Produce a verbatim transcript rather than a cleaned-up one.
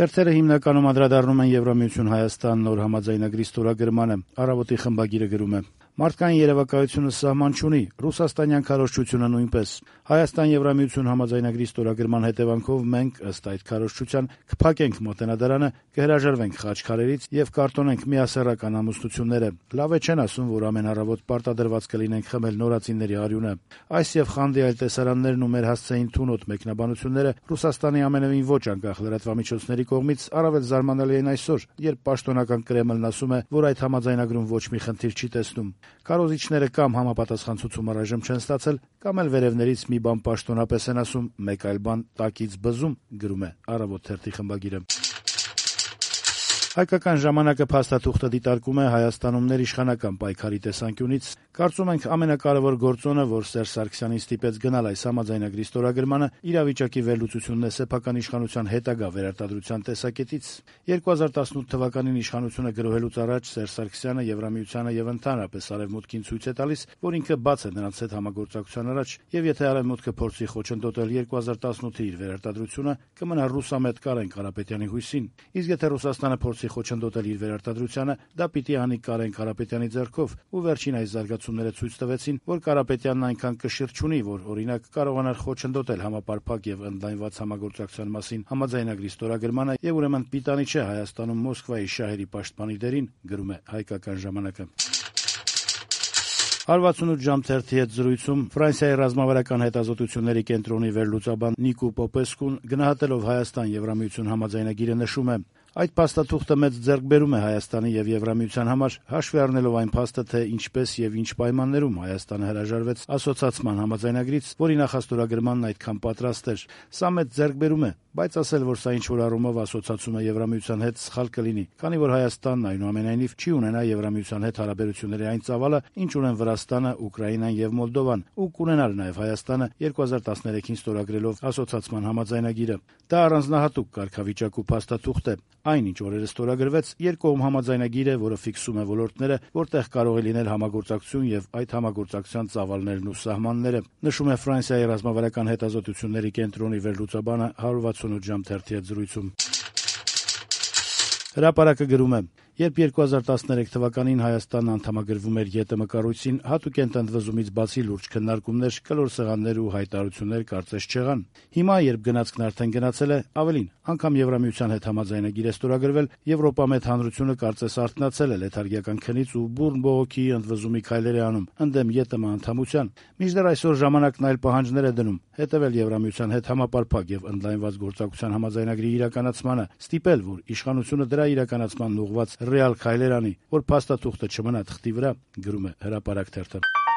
Թերթերը հիմնականում անդրադառնում են Եվրամիություն Հայաստան նոր համաձայնագրի ստորագրմանը։ Առավոտի խմբագիրը գրում է. «Մարդկային երևակայությունը սահման չունի, ռուսաստանյան քարոզչությունը նույնպես։ Հայաստան-Եվրամիություն համաձայնագրի ստորագրման հետևանքով մենք, ըստ այդ քարոզչության, կփակենք Մոտենադարանը, կհրաժարվենք խաչքարերից եւ կարտոնենք միասեռական ամուսնությունները։ Լավ է չեն ասում, որ ամեն առավոտ պարտադրված կլինենք խմել նորածինների արյունը։ Այս եւ խանդի այլ տեսարաններն ու մեր հասցեին թունոտ մեկնաբանությունները Ռուսաստանի ամենևին ոչ անկախ լրատվամիջոցների կողմից առավել զարմանալի են այսօր, երբ պաշտոնական Կրեմլն ասում է, որ այդ համաձայնագրում ոչ մի խնդիր չի տեսնում։ Քարոզիչները կամ համապատասխան ցուցում առայժմ չեն ստացել, կամ էլ վերևներից մի բան պաշտոնապես են ասում, մեկ այլ բան տակից բզում», գրում է «Առավոտ» թերթի խմբագիրը։ Հայկական ժամանակը փաստաթուղթը դիտարկում է Հայաստանում ներիշխանական պայքարի տեսանկյունից. «Կարծում ենք ամենակարևոր գործոնը, որ Սերժ Սարգսյանին ստիպեց գնալ այս համաձայնագրի ստորագրմանը, իրավիճակի վերլուծությունն է սեփական իշխանության հետագա վերարտադրության տեսակետից։ երկու հազար տասնութ թվականին իշխանությունը գրոհելուց առաջ Սերժ Սարգսյանը Եվրամիությանը եւ ընդհանրապես Արևմուտքին ցույց է տալիս, որ ինքը բաց է նրանց հետ համագործակցության առաջ, եւ եթե Արևմուտքը փորձի խոչընդոտել երկու հազար տասնութի իր վերարտադրությունը, կմնա ռուսամետ Կարեն Կարապետյանի հույսին։ Իսկ եթե Ռուսաստանը փորձի խոչընդոտել իր վերարտադրությանը, դա պիտի անի Կարեն Կարապետյանի ձեռքով, ու վերջին այս զարգացումները ցույց տվեցին, որ Կարապետյանն այնքան կշիռ չունի, որ օրինակ կարողանար խոչընդոտել համապարփակ եւ ընդլայնված համագործակցության մասին համաձայնագրի ստորագրմանը, եւ ուրեմն պիտանի չէ Հայաստանում Մոսկվայի շահերի պաշտպանի դերին», գրում է Հայկական ժամանակը։ «հարվածունութ ժամ» թերթի հետ զրույցում Ֆրանսիայի ռազմավարական հետազոտությունների կենտրոնի վերլուծաբան Նիկո Պոպեսկուն գնահատելով Հայաստան-Եվրամիություն համաձայնագիրը նշում է. «Այդ փաստաթուղթը մեծ ձեռքբերում է Հայաստանի եւ Եվրամիության համար, հաշվի առնելով այն փաստը, թե ինչպես եւ ինչ պայմաններում Հայաստանը հրաժարվեց ասոցացման համաձայնագրից, որի նախաստորագրմանն այդքան պատրաստ էր։ Սա մեծ ձեռքբերում է, բայց ասել, որ սա ինչ-որ առումով ասոցացումը Եվրամիության հետ սխալ կլինի, քանի որ Հայաստանն այնուամենայնիվ չի ունենա Եվրամիության հետ հարաբերությունների այն ծավալը, ինչ ունեն Վրաստանը, Ուկրաինան եւ Մոլդովան, ու կունենար նաեւ Հայաստանը երկու հազար տասներեքին ստորագրելով ասոցացման համաձայնագիրը։ Դա առանձնահատուկ կարգավիճակ ու փաստաթուղթ է։ Այն, ինչ օրերը ստորագրվեց, երկկողմ համաձայնագիր է, որը ֆիքսում է ոլորտները, որտեղ կարող է լինել համագործակցություն եւ այդ համագործակցության ծավալներն ու սահմանները», նշում է Ֆրանսիայի ռազմավարական հետազոտությունների կենտրոնի վերլուծաբանը հարվածունութ ժամ թերթի հետ զրույցում։ Հրապարակը գրում է. «Երբ երկու հազար տասներեք թվականին Հայաստանն անդամագրվում էր ԵՏՄ կառույցին, հատուկ ընտրվզումից բացի լուրջ քննարկումներ, կլոր սեղաններ ու հայտարարություններ կարծես չեղան։ Հիմա, երբ գնացքն արդեն գնացել է, ավելին, անգամ Եվրամիության հետ համաձայնագիր է ստորագրվել, Եվրոպամետ հանրությունը կարծես արթնացել է լեթարգիական քնից ու բուրն բողոքի ընդվզումի քայլեր է անում ընդդեմ ԵՏՄ անդամության։ Մինչդեռ այսօր ժամանակն այլ պահանջներ է դնում՝ հետևել Եվրամիության հետ համապարփակ եւ ընդլայնված գործակցության համաձայնագրի իրականացմանը, ստիպել, որ իշխանությունը դրա իրականացմանն ուղղված ռեալ քայլեր անի, որ փաստաթուղթը չմնա թղթի վրա», գրում է Հրապարակ թերթը։